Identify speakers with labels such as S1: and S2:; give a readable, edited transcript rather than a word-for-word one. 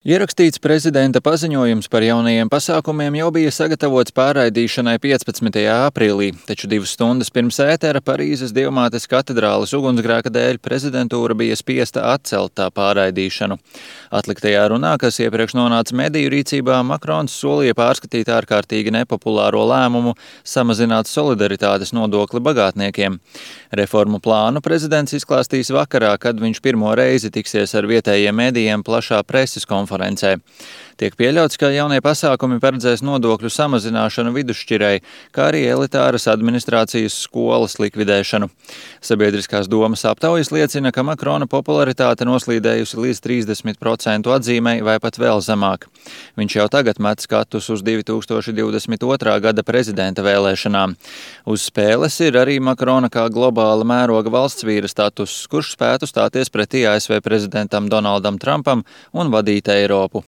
S1: Ierakstīts prezidenta paziņojums par jaunajiem pasākumiem jau bija sagatavots pārraidīšanai 15. aprīlī, taču 2 stundas pirms ētera Parīzes Dievmātes katedrāles ugunsgrēka dēļ prezidentūra bija spiesta atcelt tā pārraidīšanu. Atliktajā runā, kas iepriekš nonāca mediju rīcībā, Makrons solīja pārskatīt ārkārtīgi nepopulāro lēmumu samazināt solidaritātes nodokli bagātniekiem. Reformu plānu prezidents izklāstīs vakarā, kad viņš pirmo reizi tiksies ar vietējiem medijiem plašā preses konferencē. Tiek pieļauts, ka jaunie pasākumi paredzēs nodokļu samazināšanu vidusšķirei, kā arī elitāras administrācijas skolas likvidēšanu. Sabiedriskās domas aptaujas liecina, ka Makrona popularitāte noslīdējusi līdz 30% atzīmei vai pat vēl zemāk. Viņš jau tagad met skatus uz 2022. gada prezidenta vēlēšanām. Uz spēles ir arī Makrona kā globāla mēroga valsts vīra status, kurš spētu stāties pretī ASV prezidentam Donaldam Trumpam un vadīt Eiropu.